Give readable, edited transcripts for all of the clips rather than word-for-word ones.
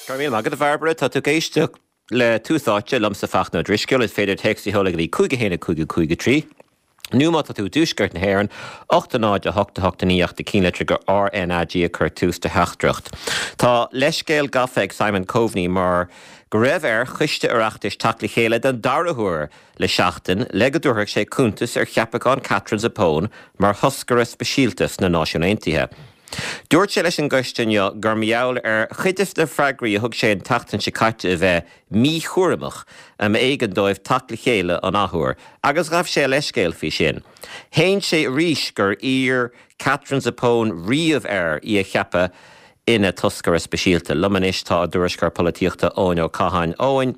Go raibh míle maith agat, a Bhairbre. Tá tú ag éisteacht le Tús Áite, liomsa Fachtna Ó Drisceoil. Is féidir téacs a sheoladh go dtí 5 1 5 5 3, nó má tá tú i dtuaisceart na hÉireann, 8 0 8 8 9 ach do chinnlitir go RnaG a chur tús do theachtaireacht. Tá leithscéal gafa ag Simon Coveney mar go raibh ar choiste Oireachtais teacht le chéile den dara huair le seachtain le go dtabharfadh sé cuntas ar cheapachán Katherine Zappone mar thoscaire speisialta sna Náisiúin Aontaithe. Dúirt sé leis an gcoiste inniu gur mar gheall ar chuid de na freagraí a thug sé an tseachtain seo caite a bheith míchúramach a mb'éigean dóibh teacht le chéile an athuair agus ghabh sé a leithscéal faoi sin. Shéan sé arís gur iarr Katherine Zappone riamh air í a cheapadh ina toscaire speisialta. Liom anois tá ár dtuairisceoir polaitíochta Eoin Ó Catháin. Eoin,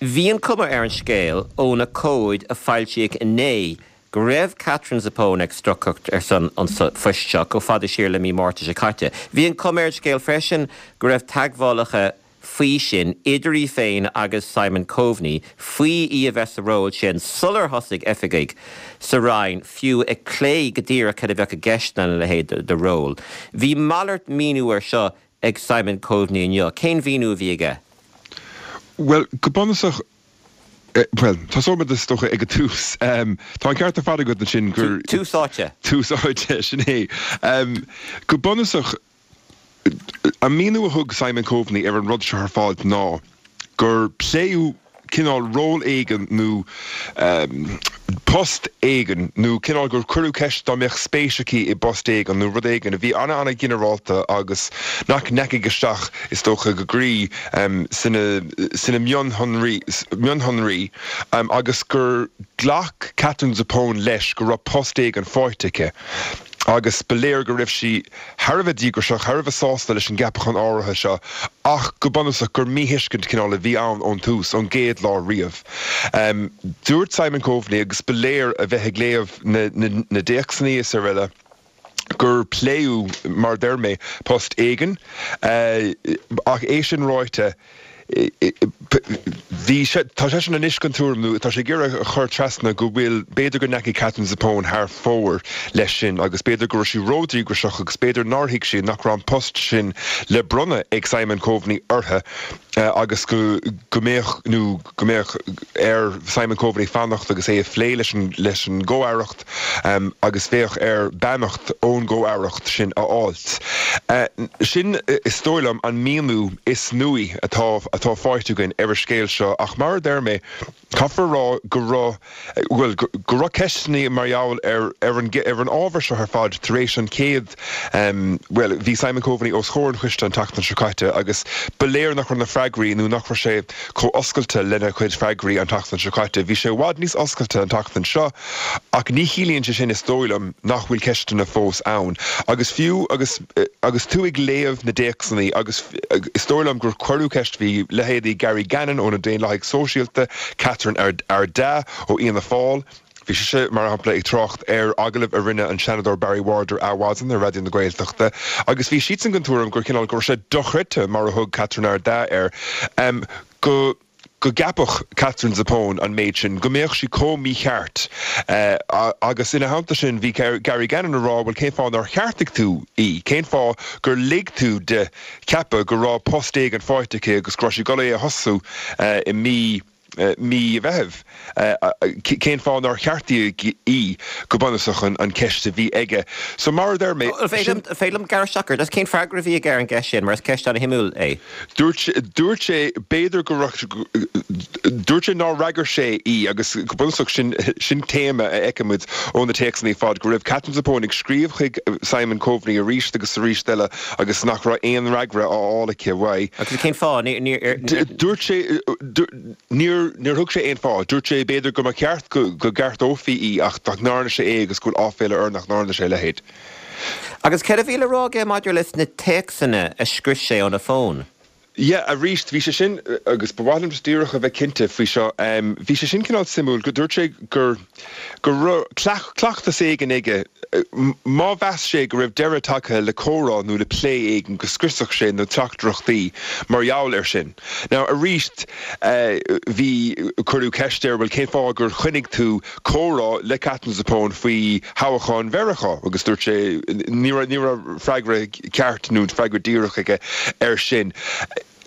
bhí an cuma ar an scéal ó na comhaid a foilsíodh inné go raibh Katherine Zappone ag stocaireacht ar son an phoist seo chomh fada siar le mí Márta seo caite. Bhí an cuma ar an scéal freisin go raibh teagmhálacha faoi sin idir í féin agus Simon Coveney faoi í a bheith sa ról sin sular thosaigh oifigigh sa Roinn fiú ag plé go díreach cad a bheadh i gceist lena leithéid de ról. Bhí malairt míniú air seo ag Simon Coveney inniu. Cén mhíniú a bhí aige? Bhuel, go bunúsach, Bhuel, tosóidh muid is dócha ag an tús. Tá an ceart ar fad agat ansin gur. Tús áite. Tús áite, sin é. Go bunúsach, an míniú a thug Simon Coveney ar an rud seo ar fad ná gur pléadh cineál ról éigin nó post éigin nó cineál gur cuireadh ceist dá mbeadh spéis aici i bpost éigin nó rud éigin a bhí ana-ana-ghinearálta agus nach ndeachaigh isteach is dócha go groí sna mionshonraí agus gur ghlac Katherine Zappone leis go raibh post éigin faighte aici agus ba léir go raibh sí thar a bheith díograiseach, thar a bheith sásta leis an gceapachán áirithe seo ach go bunúsach gur míthuiscint cineál a bhí ann ón tús, ón gcéad lá riamh. Dúirt Simon Coveney, agus ba léir a bheith ag léamh na dtéacsanna is araile, gur pléadh, mar a deir mé, post éigin ach é sin ráite, bhí sé, tá seisean anois den tuairim, nó tá sé ag iarraidh a chur trasna go bhfuil, b'fhéidir go ndeachaigh Katherine Zappone thar fóir leis sin agus b'fhéidir go raibh sí ródhíograiseach agus b'fhéidir nár thuig sí nach raibh an post sin le bronnadh ag Simon Coveney uirthi agus go go mbeadh, nó go mbeadh ar Simon Coveney fanacht agus é a phlé leis an leis an gcomh-aireacht. agus bheadh air beannacht ón gcomh-aireacht sin a fháilt. Sin, is dóigh liom, an míniú is nuaí atá atá faighte againn ar an scéal seo ach mar a deir mé, caithfear a rá go raibh, bhuel, go raibh ceisteanna mar gheall ar ar an ar an ábhar seo ar fad tar éis an chéad, bhuel, bhí Simon Coveney os comhair an choiste an tseachtain seo caite agus ba léir nach raibh na freagraí nó nach raibh sé chomh oscailte lena chuid freagraí an tseachtain seo caite. Bhí sé i bhfad níos oscailte an tseachtain seo ach ní chiallaíonn sé sin, is dóigh liom, nach bhfuil ceisteanna fós ann. Agus fiú agus agus tú ag léamh na dtéacsanna agus is dóigh liom gur cuireadh ceist, bhí leithéidí Gary Gannon ó na Daonlathaigh Sóisialta, Catherine Ardagh ó Fhianna Fáil, Bhí sise, mar shampla, ag trácht ar agallamh a rinne an Seanadóir Barry Ward ar Adhmhaidin ar Raidió na Gaeltachta agus bhí siadsan den tuairim gur cineál, go raibh sé dochreidte, mar a thug Catherine Ardagh air, go go gceapfadh Katherine Zappone an méid sin, go mbeadh sí chomh mícheart. Agus ina theannta sin bhí Gary Gannon ag rá, bhuel cén fáth nár cheartaigh tú í? Cén fáth gur lig tú di ceapadh go raibh post éigin faighte aici agus go raibh sí ag dul é a thosú i mí mí Mheithimh. Cén fáth nár ceartaíodh í, go bunúsach, an cheist a bhí aige. So, mar a deir mé, sin. An féidir liom gearradh isteach ort? Cén freagra a bhí aige ar an gceist sin, mar is ceist an-shuimiúil é. Dúirt, dúirt sé, b'fhéidir go raibh, dúirt sé nár fhreagair sé í agus go bunúsach sin, sin téama a fheicimid ó na téacsanna ar fad, go raibh Katherine Zappone ag scríobh chuig Simon Coveney arís agus arís eile agus nach raibh aon fhreagra á fháil aici uaidh. Agus cén fáth? Níor. Dúirt sé, níor, níor thug sé aon fáth. Dúirt sé b'fhéidir go mba cheart go, go gceartófaí í ach nach ndearna sé é agus go bhfuil áiféala air nach ndearna sé a leithéid. Agus céard a bhí le rá aige maidir leis na téacsanna a scrios sé óna fón? Yeah, arís, bhí sé sin, agus ba mhaith liom just díreach a bheith cinnte faoi seo, bhí sé sin cineál suimiúil, go dúirt sé gur, go raibh cleachtas éigin aige, má mheas sé go raibh deireadh tagtha le comhrá nó le plé éigin, go scriosfadh sé na teachtaireachtaí mar gheall air sin. Now, arís, bhí, cuireadh ceist air, bhuel, cén fáth gur choinnigh tú comhrá le Katherine Zappone faoi thoghchán Mheiriceá agus dúirt sé, ní raibh, ní raibh freagra ceart nó freagra díreach aige air sin.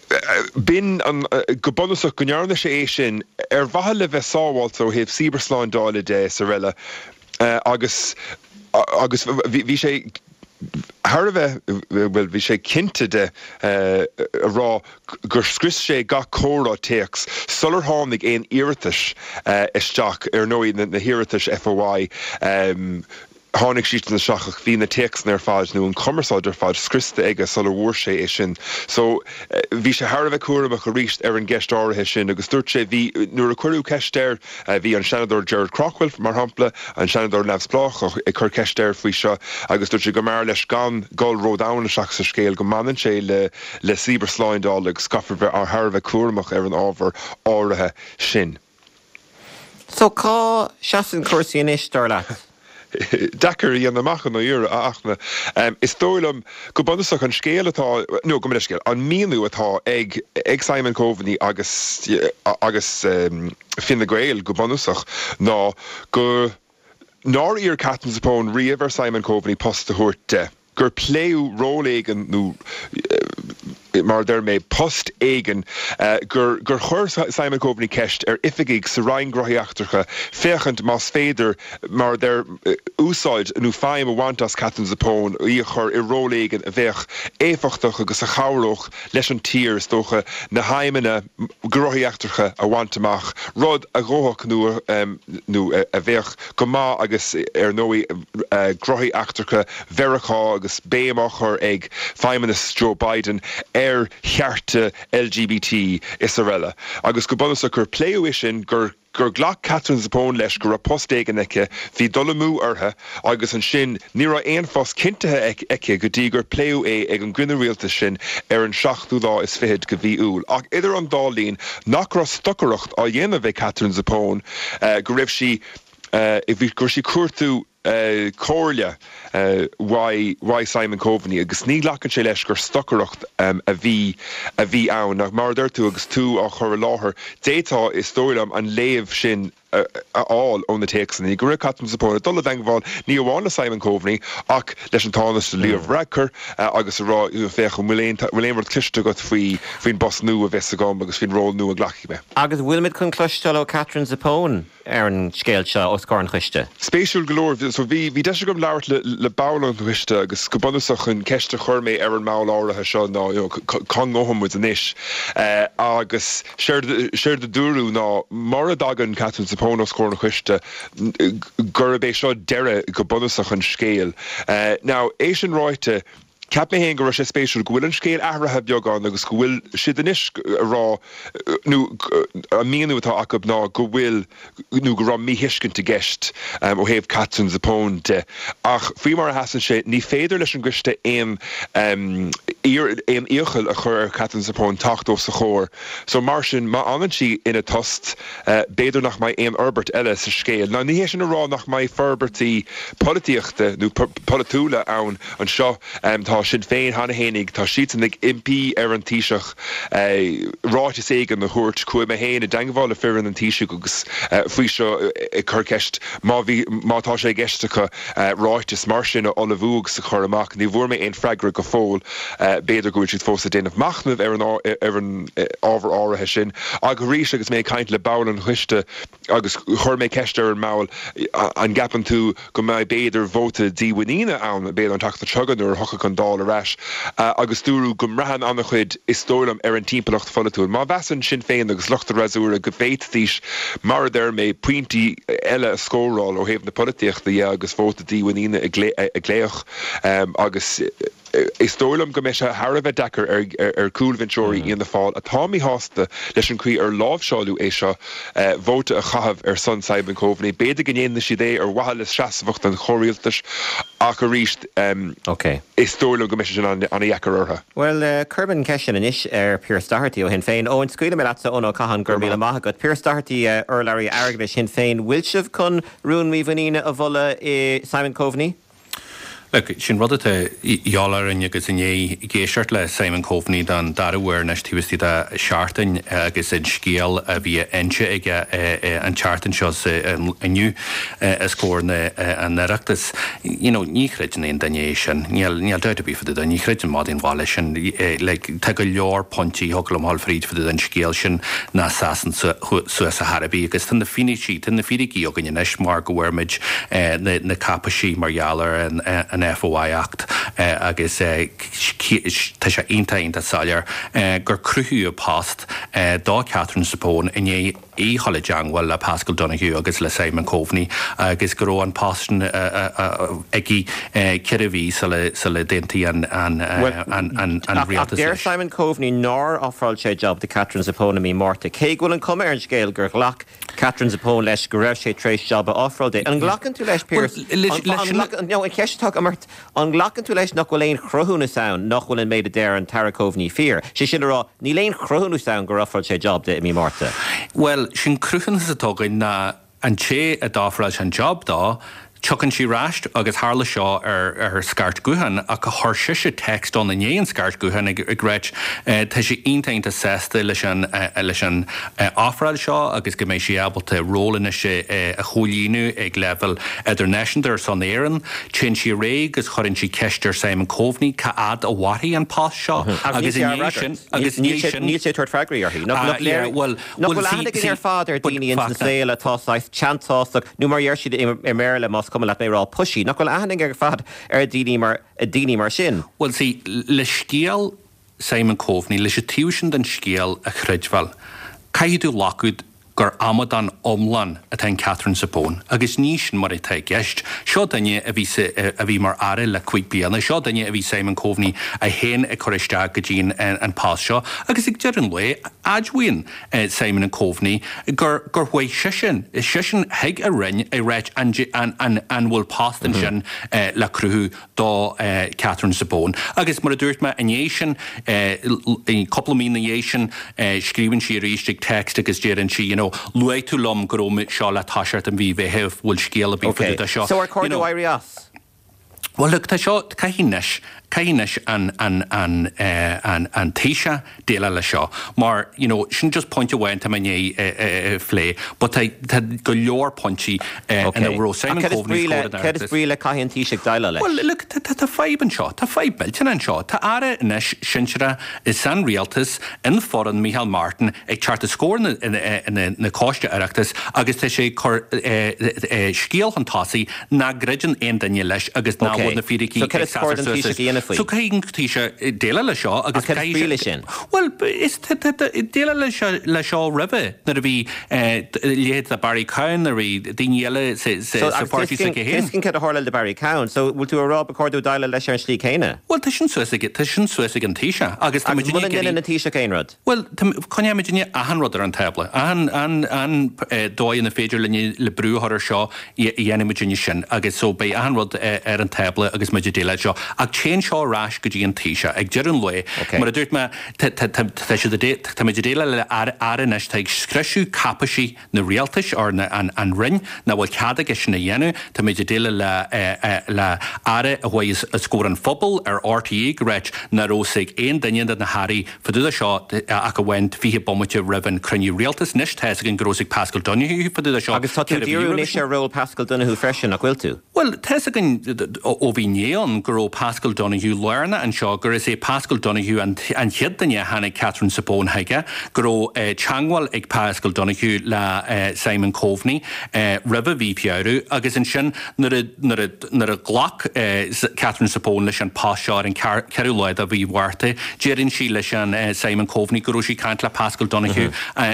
B'in an, go bunúsach, go ndearna sé é sin ar mhaithe le bheith sábháilte ó thaobh cibearshlándála de is araile agus agus bhí sé thar a bheith, bhuel, bhí sé cinnte de a rá gur scrios sé gach comhrá téacs sular tháinig aon iarratais isteach, ar ndóigh na hiarratais FOI, Tháinig siadsan isteach ach bhí na téacsanna ar fad, nó an chumarsáid ar fad, scriosta aige sula bhfuair sé é sin. So, bhí sé thar a bheith cúramach arís ar an gceist áirithe sin agus dúirt sé, bhí, nuair a cuireadh ceist air, bhí an Seanadóir Gerard Craughwell, mar shampla, an Seanadóir neamhspleách, ag cur ceist air faoi seo agus dúirt sé go mb'fhearr leis gan dul ródhomhain isteach sa scéal, go mbaineann sé le le cibearshlándáil agus caithfear bheith thar a bheith cúramach ar an ábhar áirithe sin. So cá seasann cúrsaí anois, dar leat? Deacair a dhéanamh amach i ndáiríre, a Fhachtna. Is dóigh liom, go bunúsach, an scéal atá, nó gabh mo leithscéal, an míniú atá ag ag Simon Coveney agus agus Fine Gael, go bunúsach, ná go nár iarr Katherine Zappone riamh ar Simon Coveney post a thabhairt de. gur pléadh ról éigin nó, mar a deir mé, post éigin, gur gur chuir Simon Coveney ceist ar oifigigh sa Roinn Gnóthaí Eachtracha féachaint más féidir, mar a deir, úsáid nó feidhm a bhaint as Katherine Zappone, í a chur i ról éigin a bheadh éifeachtach agus a chabhródh leis an tír, is dócha, na haidhmeanna gnóthaí eachtracha a bhaint amach, rud a dhófadh nó nó a bheadh go maith agus, ar ndóigh, gnóthaí eachtracha Mheiriceá agus béim á chur ag feidhmeannas Joe Biden ar chearta LGBT is araile. Agus go bunúsach gur pléadh é sin, gur gur ghlac Katherine Zappone leis go raibh post éigin aici, bhí dul amú uirthi agus ansin ní raibh aon phost cinntithe aici go dtí gur pléadh é ag an gcruinniú rialtais sin ar an seachtú lá is fichead de mhí Iúil. Ach idir an dá linn, nach raibh stocaireacht á dhéanamh ag Katherine Zappone, go raibh sí go raibh sí ag cuartú comhairle uaidh Simon Coveney agus ní ghlacann sé leis gur stocaireacht a bhí a bhí ann. Ach mar a deir tú agus tú á chur i láthair, d'fhéadfá, is dóigh liom, an léamh sin a fháil ó na téacsanna. Go raibh Katherine Zappone ag dul i dteangmháil ní amháin le Simon Coveney ach leis an Tánaiste Leo Varadkar agus a rá, féach, an bhfuil aon bhfuil aon rud cloiste agat faoi faoin bpost nua a bheas agam agus faoin ról nua a nglacfaidh mé. Agus bhfuilimid chun cloisteáil ó Katherine Zappone? ar an scéal seo os comhair an choiste. Spéisiúil go leor, so bhí, bhí deis agam labhairt le, le ball an choiste agus go bunúsach an ceist a chuir mé ar an mball áirithe seo ná, you know, cá ngabhann muid anois? Agus séard, séard a dúradh ná mura dtagann Katherine Zappone os comhair an choiste gurb é seo deireadh go bunúsach an scéil. Now, é sin ráite, Cheap mé féin go raibh sé spéisiúil go bhfuil an scéal athraithe beagán agus go bhfuil siad anois a rá, nó an míniú atá acu ná go bhfuil, nó go raibh míthuiscint i gceist ó thaobh Katherine Zappone de. Ach faoi mar a sheasann sé, ní féidir leis an gcoiste aon aon iachall a chur ar Katherine Zappone teacht os a chomhair. So mar sin, má fhanann sí ina tost, b'fhéidir nach mbeidh aon fhorbairt eile sa scéal. Now ní hé sin a rá nach mbeidh forbairtí polaitíochta nó polaitiúla ann anseo. Tá Sinn Féin cheana fhéinig, tá siadsan ag impí ar an Taoiseach ráiteas éigin a thabhairt. Chuaigh mé féin i dteangmháil le foireann an Taoisigh agus faoi seo ag cur ceist má bhí, má tá sé i gceist acu ráiteas mar sin a ullmhú agus a chur amach. Ní bhfuair mé aon freagra go fóill. B'fhéidir go bhfuil siad fós ag déanamh machnaimh ar an ar an ábhar áirithe sin. Ach arís agus mé ag caint le ball an choiste agus chuir mé ceist ar an mball, an gceapann tú go mbeidh b'fhéidir vóta dímhuiníne ann b'fhéidir an tseachtain seo chugainn nuair a thiocfaidh an Dáil ar ais agus dúradh go mbraitheann an-chuid is dóigh liom ar an timpeallacht pholaitiúil. Má mheasann Sinn Féin agus lucht an fhreasúra go bhféadfaidís, mar a deir mé, pointí eile a scóráil ó thaobh na polaitíochta dhe agus vóta dímhuiníne a ghlaoch agus Is dóigh liom go mbeidh sé thar a bheith deacair ar chúlbhinseoirí Fhianna Fáil atá míshásta leis an chaoi ar láimhseáladh é seo vóta a chaitheamh ar son Simon Coveney. B'fhéidir go ndéanfaidh siad é ar mhaithe le seasmhacht an chomhrialtais ach arís is dóigh liom go mbeidh sé sin an-dheacair orthu. Bhuel, cuirfidh mé an cheist sin anois ar Pearse Doherty ó Shinn Féin. Eoin, scaoilfidh mé leatsa, Eoin Ó Catháin, go raibh míle maith agat. Pearse Doherty, urlabhraí airgeadais Shinn Féin, bhfuil sibh chun rún mímhuiníne a mholadh i Simon Coveney? Look, sin rud atá de dhíobháil orainn agus i ndiaidh éisteacht le Simon Coveney don dara huair anois taobh istigh de sheachtain agus an scéal a bhí á inse aige an tseachtain seo is inniu os comhair an Oireachtais, you know, ní chreideann aon duine é sin. Níl, níl dabht ar bith fá dtaobh de, ní chreideann madaí an bhaile sin. Like, tá go leor pointí a thiocfadh liom a dhul fríd fá dtaobh den scéal sin nach seasann suas ar chor ar bith agus tá na fianaisí, tá na fíricí againn anois mar go bhfuair muid na cáipéisí mar gheall ar an FOI Act agus tá sé iontach, iontach soiléir gur cruthaíodh post do Catherine Zappone i ndiaidh í a dhul i dteangmháil le Paschal Donohoe agus le Simon Coveney agus go raibh an post sin aici ceithre mhí sula d'aontaigh an rialtas leis. Ach deir Simon Coveney nár ofráil sé jab do Catherine Zappone i mí Márta, cé go bhfuil an chuma ar an scéal gur ghlac Catherine Zappone leis go raibh sé tar éis jab a ofráil di. An nglacann tú leis, Pearse? No, an cheist atá agam ort, an nglacann tú leis nach bhfuil aon chruthúnas ann nach bhfuil an méid a deir an tAire Coveney fíor? Sé sin le rá, níl aon chruthúnas ann gur ofráil sé jab di i mí Márta. Bhuel, sé'n cruthúnas atá againn ná an té a d'ofráil sé an job dó, Tiocfainn sí ar ais agus tharla seo ar scairt gutháin ach chuir sise text ann i ndiaidh an scairt gutháin ag ráit tá sí iontach iontach sásta leis an leis an ofráil seo agus go mbeidh sí ábalta ról anois a chomhlíonadh ag leibhéal idirnáisiúnta ar son Éireann. Téann sí ar aghaidh agus chuireann sí ceist ar Simon Coveney cá fhad a mhairfidh an post seo agus i ndiaidh sin agus i ndiaidh sin Níl sé ag tabhairt freagraí uirthi. Nach léir Nach bhfuil aithne againn ar fad ar daoine ins an saol atá saghas teanntásach, nó mar a deir siad i mBéarla, más cuma leat mé a rá, pushy. Nach bhfuil aithne againn ar fad ar daoine mar, daoine mar sin? Bhuel, see, le scéal Simon Coveney, leis an taobh sin den scéal a chreidbheáil, caithfidh tú glacadh gur amadán iomlán atá in Catherine Zappone, agus ní sin mar atá i gceist. Seo duine a bhí sa, a bhí mar aire le cuig bliana, seo duine a bhí Simon Coveney é féin ag cur isteach go dtí an, an post seo, agus ag deireadh an lae, Admhaíonn Simon Coveney gur gur chuaigh seisean seisean chuig a roinn ag ráit an an an bhfuil post ansin le cruthú do Catherine Zappone. Agus mar a dúirt mé i ndiaidh sin, cúpla mí ina dhiaidh sin, scríobhann sí arís ag text agus deireann sí you know luaigh tú liom go raibh seo le toiseacht i mí Mheithimh, bhfuil scéal ar bith fá dtaobh de seo? So ar chóir dó éirí as? Bhuel, look, tá seo, caithfidh anois, caithfidh anois an, an, an, eh, an, an Taoiseach déileáil leis seo mar, you know, sin just pointe amháin atá mé i ndiaidh eh, eh, phlé, but tá, tá go leor pointí eh, Ok. ina raibh Simon Ach cad is Coveney brí le, scór cad is brí le caithfidh an Taoiseach déileáil leis? Bhuel, look, tá, tá, tá fadhb anseo, tá fadhb millteanach anseo. Tá Aire anois sinsearach san rialtas, in foireann Micheál Martin, ag teacht os comhair na, na, na Coiste Oireachtais agus tá sé ag cur eh, eh, scéal chun tosaigh nach gcreideann aon duine leis agus nach bhfuil na fíricí ag seasamh suas leis. So caithfidh an Taoiseach déileáil leis seo agus caithfidh sé. sin? Bhuel, is déileáil leis seo roimhe nuair a bhí leithéid de Barry Cowen, nuair a bhí daoine eile sa pháirtí s'aige féin. Tuiscint cad a tharla le Barry Cowen. So bhfuil tú a rá ba chóir dó déileáil leis ar an slí céanna? Bhuel, tá sin suas ag, tá sin suas ag an Taoiseach agus tá muid Agus muna ndéanann an Taoiseach aon rud? Bhuel, coinneoidh muidinne achan rud ar an tábla. Achan, an dóigh ina féidir linne le brú a chur ar seo, dhéanfaidh muidinne sin. Agus so beidh achan rud ar an tábla agus muid ag déileáil seo. Ach téann seo ar ais go dtí an Taoiseach. Ag deireadh an lae, mar a dúirt mé, tá, tá, tá, tá siad ag, tá muid ag déileáil le aire anois atá ag scriosadh cáipeisí na rialtais, or na, an, an Roinn, nach bhfuil cead aige sin a dhéanamh. Tá muid ag déileáil le, le aire a chuaigh os comhair an phobail ar RTÉ ag ráit nach raibh fhios ag aon duine de na hairí fá dtaobh de seo ach amháin 20 bomaite roimh an cruinniú rialtais. Anois tá fhios againn go raibh fhios ag Paschal Donohoe fá dtaobh de seo Agus tá tú ag díriú anois ar ról Paschal Donohoe freisin, nach bhfuil tú? Bhuel, tá fhios againn ó bhí inné ann go raibh Paschal Donohoe lárnach anseo, gur is é Paschal Donohoe an chéad duine a tháinig Catherine Zappone chuige, go raibh teangmháil ag Paschal Donohoe le Simon Coveney roimhe mhí Feabhra agus ansin nuair a nuair a Nuair a ghlac Catherine Zappone leis an post seo ar an 4ú lá de mhí Mhárta, deireann sí leis an Simon Coveney go raibh sí ag caint le Paschal Donohoe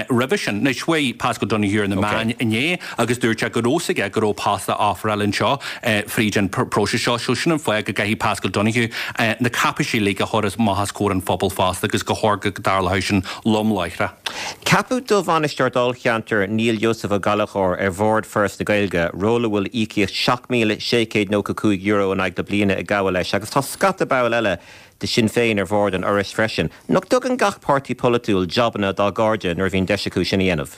roimhe sin. Anois, chuaigh Paschal Donohoe ar na meáin inné agus dúirt sé go raibh fhios aige go raibh post á ofráil anseo fríd an próiseas seo. So sin an fáth go gcaithfidh Paschal Donohoe na cáipeisí uilig a chur amach os comhair an phobail fosta agus gur chóir go dtarlódh sin lom láithreach. Ceapadh do bhainisteoir dáilcheantair Neil Joseph Ó Gallchóir ar bhord Foras na Gaeilge, ról a bhfuil íocaíocht €7,695 in aghaidh na bliana ag gabháil leis agus tá scata ball eile de Shinn Féin ar bhord an Fhorais freisin. Nach dtugann gach páirtí polaitiúil jabanna dá gcairde nuair a bhíonn deis acu sin a dhéanamh?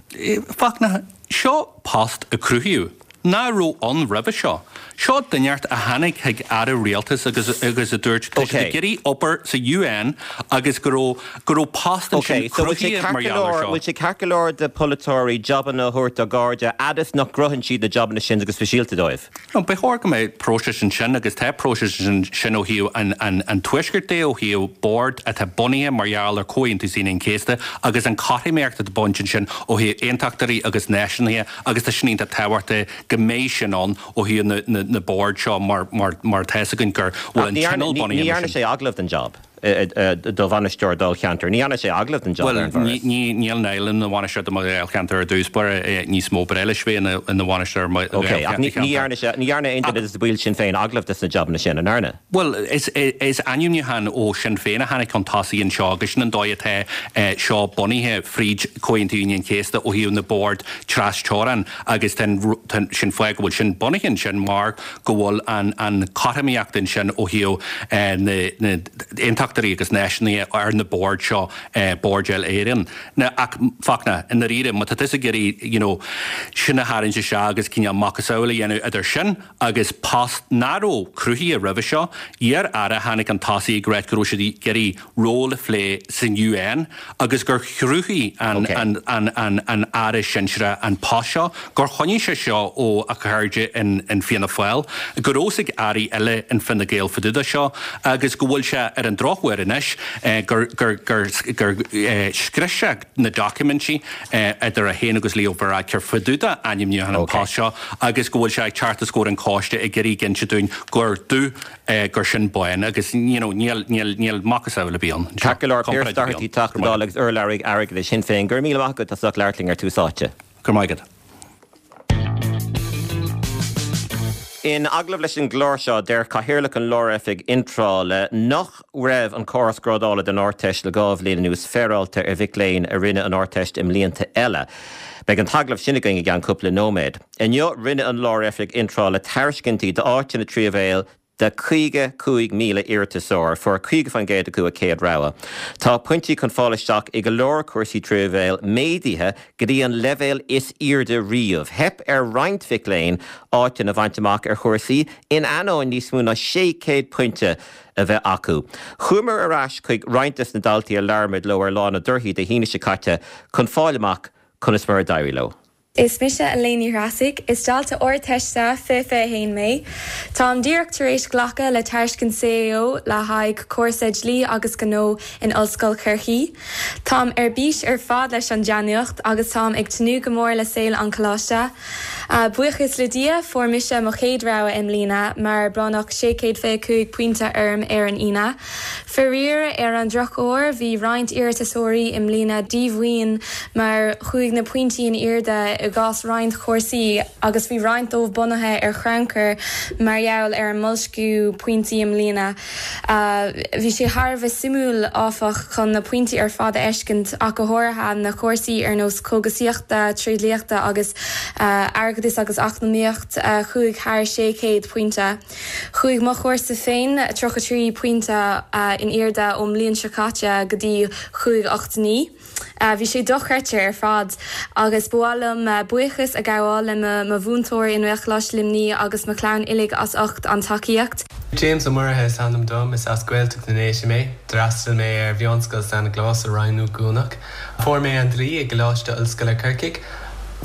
Fachtna, seo post a cruthaíodh. nach raibh ann roimhe seo. Seo duine inteacht a tháinig chuig Aire Rialtais agus agus a dúirt tá siad ag iarraidh obair sa UN agus go raibh go raibh post ansin cruthaithe mar gheall air seo. Bhfuil sé ceart go leor do pholaiteoirí jabanna a thabhairt dá gcairde fhad is nach gcruthaíonn siad na jabanna sin go speisialta dóibh? No, ba chóir go mbeadh próiseas ansin agus tá próiseas ansin ó thaobh an an an Tuaiscirt de, ó thaobh bord atá bunaithe mar gheall ar Chomhaontú Aoine an Chéasta agus an chothromaíocht atá baint ansin ó thaobh aontachtóirí agus náisiúnaithe agus tá sin iontach tábhachtach go mbeidh sin ann ó thaobh na na na bord seo mar mar mar tá fhios againn gur bhfuil an tionól bunaithe Ní dhearna sé agallamh don job do bhainisteoir dáilcheantair. Ní dhearna sé agallamh don job ar an bhForas. Bhuel, níl Niall ina bhainisteoir do mo dháilcheantar ar dtús báire níos mó, ba leis bheith ina bhainisteoir ar mo Ok, ach ní dhearna sé, ní dhearna aon duine de na baill Sinn Féin agallamh dos na jabanna sin, an ndearna? Bhuel, is is ainmniúchán ó Shinn Féin a tháinig chun tosaigh anseo agus sin an dóigh atá seo bunaithe fríd Chomhaontú Aoine an Chéasta ó thaobh na bord tras-teorann agus tá an sin fáth go bhfuil sin bunaithe ansin mar go bhfuil an an chothromaíocht ansin ó thaobh na na aontachtóirí agus náisiúnaithe ar na boird seo, boird uile-Éireann. Now ach Fachtna, i ndáiríre, má tá tusa ag iarraidh you know sin a tharraingt isteach agus cineál macasamhail a dhéanamh idir sin agus post nach raibh cruthaithe roimhe seo, iar-aire a tháinig chun tosaigh ag ráit go raibh siad ag iarraidh ról a phlé san UN agus gur chruthaigh an an an an aire sinsearach an post seo, gur choinnigh sé seo ó a chairde in in Fianna Fáil, go raibh fhios ag airí eile in Fine Gael fá dtaobh de seo agus go bhfuil sé ar an drochuair anois gur gur gur gur scrios sé na doiciméidí idir é féin agus Leo Varadkar fá dtaobh de ainmniúchán an post seo agus go bhfuil sé ag teacht os comhair an choiste ag iarraidh inse dúinn gur dubh gur sin bán agus you know níl níl níl macasamhail ar bith ann. Ceart go leor, Pearse Doherty, Teachta Dála agus urlabhraí airgeadais Shinn Féin, go raibh míle maith agat as ucht labhairt linn ar Tús Áite. Go raibh maith agat. In agallamh leis an gclár seo, deir Cathaoirleach an Lár-Oifig Iontrála nach raibh an córas grádála don Ardteist le 2 bhliain anuas féaráilte ar mhic léinn a rinne an Ardteist i mblianta eile. Beidh an t-agallamh sin againn i gceann cúpla nóiméad. Inniu, rinne an Lár-Oifig Iontrála tairiscintí d'áiteanna tríú leibhéal de 55,000 iarratasóir. Fuair 50% acu a céad rogha. Tá pointí chun fáil isteach i go leor cúrsaí tríú leibhéal méadaithe go dtí an leibhéal is airde riamh. Theip ar roinnt mhic léinn áiteanna a bhaint amach ar chúrsaí in ainneoin níos mó ná 600 pointe a bheith acu. Chuamar ar ais chuig roinnt des na daltaí a labhair muid leo ar Lá na dTorthaí Dé hAoine seo caite chun fáil amach conas mar a d'éirigh leo. Is mise Elaine Ní Threasaigh. Is dalta Ardteiste 2021 mé. Táim díreach tar éis glacadh le tairiscint CAO le haghaidh cúrsa Dlí agus Gnó in Ollscoil Chorcaí. Táim ar bís ar fad leis an dea-nuacht agus táim ag tnúth go mór le saol an choláiste. Buíochas le Dia, fuair mise mo chéad rogha i mbliana mar bronnadh 625 pointe orm ar an Aoine. Faraor, ar an drochuair, bhí roinnt iarratasóirí i mbliana díomhaoin mar chuaigh na pointí in airde i gcás roinnt chúrsaí agus bhí roinnt dóibh bunaithe ar chrannchur mar gheall ar an mboilsciú pointí i mbliana. Bhí sé thar a bheith suimiúil, áfach, chun na pointí ar fad a fheiscint, ach go háirithe na cúrsaí ar nós cógaisíochta, tréidliachta agus airgeadas agus eacnamaíocht a chuaigh thar 600 pointe. Chuaigh mo chúrsa féin 33 pointe in airde ón mbliain seo caite go dtí 589. Bhí sé dochreidte ar fad agus ba mhaith liom buíochas a ghabháil le mo mhúinteoir i nGaelcholáiste Luimnigh agus mo chlann uilig as ucht an tacaíocht. James Ó Muirithe is ainm dom, is as Gaeltacht na nDéise mé. D'fhreastail mé ar Mheánscoil San Nioclás i Rinn Ó gCuanach. Fuair mé an dlí i gColáiste Ollscoile Corcaigh.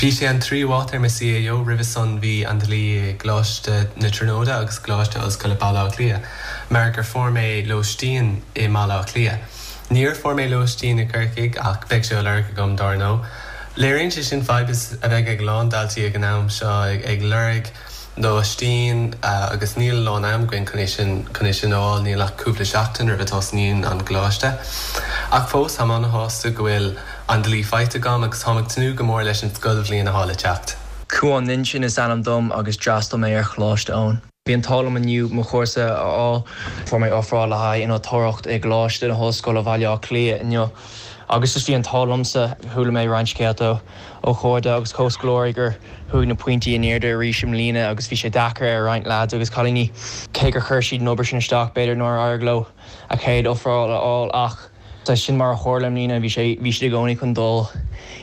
Bhí sé an tríú háit ar mo CAO, roimhe san bhí an dlí i gColáiste na Tríonóide agus Coláiste Ollscoile Baile Átha Cliath, mar gur fuair mé lóistín i mBaile Átha Cliath. Níor fuair mé lóistín i gCorcaigh ach beidh sé á lorg agam dár ndóigh. Léiríonn sé sin fadhb a bheidh ag a lán daltaí ag an am seo ag lorg lóistín agus níl a lán am againn chun é sin chun é sin a fháil, níl ach cúpla seachtain roimh a tosnaíonn an coláiste. Ach fós, táim an-shásta go bhfuil an dlí faighte agam agus táim ag tnúth go mór leis an scoilbhliain atá le teacht. Cuán Nuinseann is ainm dom agus d'fhreastail mé ar Choláiste Eoin. Bhí an t-ádh liom inniu mo chúrsa a fháil. Fuair mé ofráil le haghaidh innealtóireacht i gColáiste na hOllscoile Bhaile Átha Cliath inniu agus just bhí an t-ádh liomsa. Chuala mé roinnt scéalta ó chairde agus comhscoláirí gur chuaigh na pointí in airde arís i mbliana agus bhí sé deacair ar roinnt leaids agus cailíní. Cé gur chuir siad an obair sin isteach b'fhéidir nár éirigh leo a chéad ofráil a fháil ach. Saghas sin mar a tharla i mbliana, bhí sé, bhí siad i gcónaí chun dul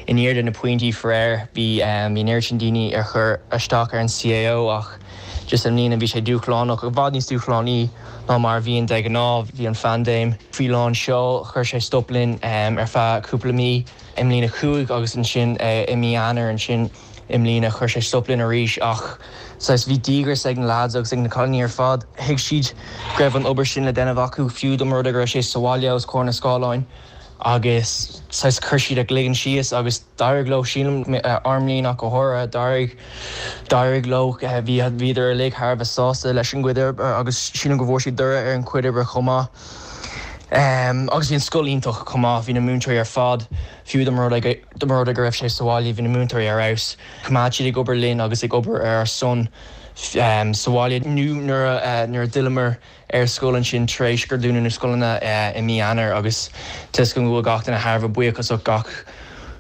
in airde na pointí faraor. Bhí, bhí an oiread sin daoine ar chur isteach ar an CAO ach just i mbliana bhí sé dúshlánach, i bhfad níos dúshlánaí ná mar a bhíonn de ghnáth. Bhí an phaindéim faoi lán seoil, chuir sé stop linn ar feadh cúpla mí i mbliain a 5 agus ansin i mí Eanáir ansin. I mbliana chuir sé stop linn arís ach saghas bhí díograis ag na lads agus ag na cailíní ar fad. Thuig siad go raibh an obair sin le déanamh acu fiú dá mba rud é go raibh sé sa bhaile os comhair na scáileáin agus saghas chuir siad a gcloigeann síos agus d'éirigh leo sílim, ár mbliain ach go háirithe, d'éirigh, d'éirigh leo. Bhí, bhíodar uilig thar a bheith sásta leis an gcuid oibre agus sílim go bhfuair siad toradh ar an chuid oibre chomh maith. Agus bhí an scoil iontach chomh maith, bhí na múinteoirí ar fad, fiú dá mba rud é go, Dá mba rud é go raibh sé sa bhaile, bhí na múinteoirí ar fheabhas. Choimeád siad ag obair linn agus ag obair ar ár son sa bhaile nó nuair a nuair a d'fhilleamar ar scoil ansin tar éis gur dúnadh na scoileanna i mí Eanáir agus tá 'fhios agam go bhfuil gach duine thar a bheith buíoch as gach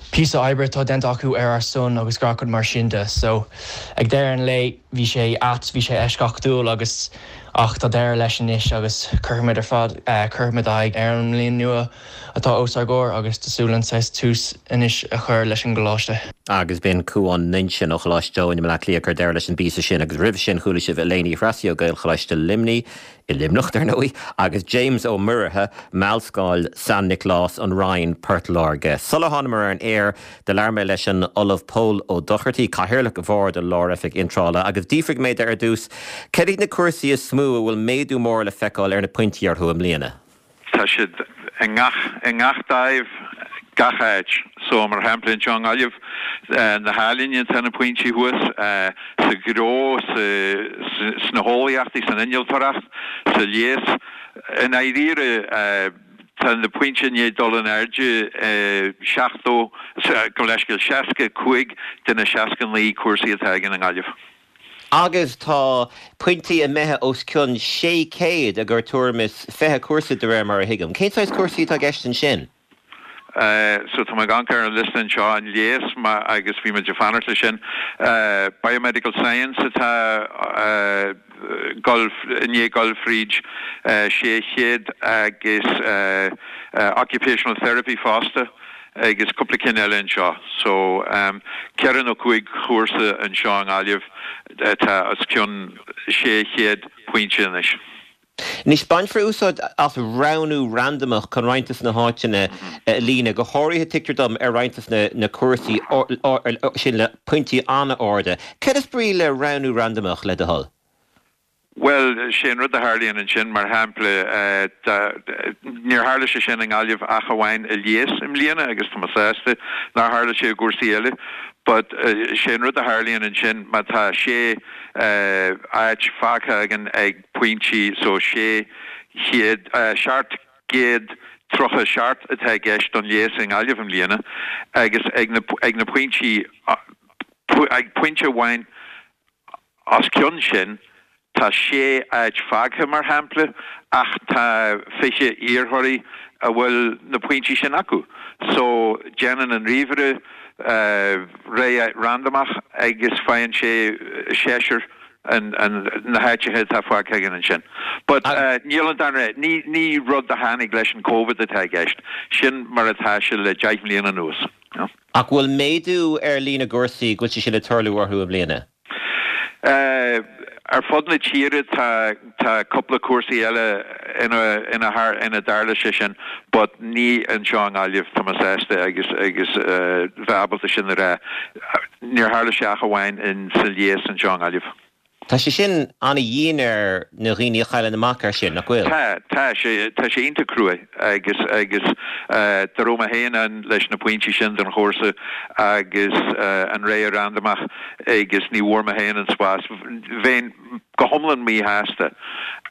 píosa oibre atá déanta acu ar ár son agus gach rud mar sin de. So ag deireadh an lae bhí sé ait, bhí sé eisceachtúil agus ach tá deireadh leis anois agus cuirfimid ar fad cuirfimid aghaidh ar an mbliain nua. atá os ár gcomhair agus tá súil againn saghas tús anois a chur leis an gcoláiste. Agus b'in Cúán Nuinseann ó Choláiste Eoin i mBleá Cliath ag cur deireadh leis an bpíosa sin agus roimhe sin chuala sibh Elaine Uí Threasaigh ó Gaelcholáiste Luimnigh, i Luimneach dar ndóigh, agus James Ó Muirithe, Meánscoil San Nioclás, An Rinn, Port Láirge. Sular thánamar ar an aer do labhair mé leis an Ollamh Pól Ó Dochartaigh, Cathaoirleach Bhord an Lár-Oifig Iontrála, agus d'fhiafraigh mé de ar dtús cad iad na cúrsaí is mó a bhfuil méadú mór le feiceáil ar na pointí orthu i mbliana. Tá siad i ngach, i ngach dáimh, gach áit. So, mar shampla, anseo i nGaillimh, na healaíona, tá na pointí thuas, sa ghnó, sa, sna heolaíochtaí, san innealtóireacht, sa leigheas. I ndáiríre, tá na pointí i ndiaidh dul in airde 70, gabh mo leithscéal, 65 de na 69 cúrsaí atá againn i nGaillimh. Agus tá pointí imithe os cionn 600 i gcomhair tuairim is 20 cúrsa de réir mar a thuigim. Cén saghas cúrsaí atá i gceist ansin? So tá mé ag amharc ar an liosta anseo, an leigheas, agus bhí muid ag fanacht leis sin. Biomedical Science atá dul, i ndiaidh dul fríd 600 agus Occupational Therapy fosta. agus cúpla cinn eile anseo. So, ceithre nó cúig chúrsa anseo i nGaillimh atá os cionn 600 pointe anois. Anois, bainfear úsáid as roghnú randamach chun roinnt de na háiteanna a líonadh, go háirithe, tuigtear dom, ar roinnt de na cúrsaí sin le pointí an-arda. Céard is brí le roghnú randamach, le do thoil? Bhuel, sé an rud a tharlaíonn ansin, mar shampla, níor tharla sé sin i nGaillimh ach amháin i leigheas i mbliana agus tá mé sásta nár tharla sé i gcúrsaí eile, but sé an rud a tharlaíonn ansin má tá sé áit fágtha againn ag pointí, so 600, 737 atá i gceist don leigheas i nGaillimh i mbliana agus ag na, ag na pointí, ag pointe amháin, Os cionn sin, tá sé áit fágtha, mar shampla, ach tá 20 iarrthóirí a bhfuil na pointí sin acu. So, déanann an ríomhaire rogha randamach agus faigheann sé seisear na háiteacha atá fágtha againn ansin. But níl an darna, ní rud a tháinig leis an Covid atá i gceist. Sin mar atá sé le deich mbliana anuas. Ach bhfuil méadú ar líon na gcúrsaí go bhfuil sé sin ag tarlú orthu i mbliana? Ar fud na tíre tá tá cúpla cúrsaí eile ina ina ina dtarla sé sin but ní anseo i nGaillimh, tá mé sásta agus agus bheith ábalta sin a rá. Níor tharla sé ach amháin in sa leigheas anseo i nGaillimh. Tá sé sin an-dhian ar na dhaoine a chailleann amach air sin, nach bhfuil? Tá, tá sé, tá sé iontach cruaidh agus, agus dá raibh mé féin ann leis na pointí sin don chúrsa agus an rogha randamach agus ní bhfuair mé féin an spás, bheinn go hiomlán míshásta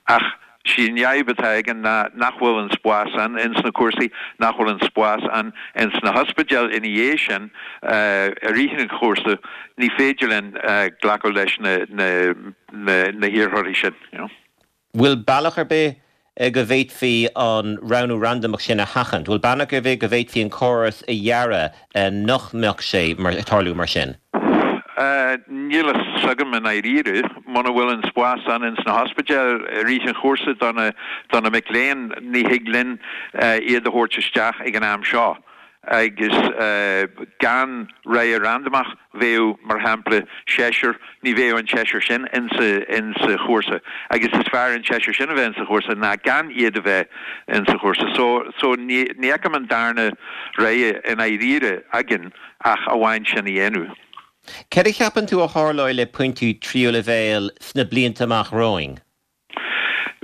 ach sí an fhadhb atá againn ná nach bhfuil an spás ann ins na cúrsaí, nach bhfuil an spás ann ins na hospidéil ina dhiaidh sin i rith an chúrsa, ní féidir linn glacadh leis na na hiarrthóirí sin, you know. Bhfuil bealach ar bith go bhféadfaí an roghnú randamach sin a sheachaint? Bhfuil bealach ar bith go bhféadfaí an córas a dhearadh nach mbeadh sé ag tarlú mar sin? Níl a fhios agam i ndáiríre. Muna bhfuil an spás ann ins na hospidéil i rith an chúrsa do na do na mic léinn, ní thig linn iad a thabhairt isteach ag an am seo. Agus gan rogha randamach, bheadh, mar shampla, seisear, ní bheadh an seisear sin insa insa chúrsa. Agus is fearr an seisear sin a bheith insa chúrsa ná gan iad a bheith insa chúrsa. So so ní ní fheicim an darna rogha i ndáiríre againn ach amháin sin a dhéanamh. Céard a cheapann tú a tharlóidh le pointí tríú leibhéal sna blianta amach romhainn?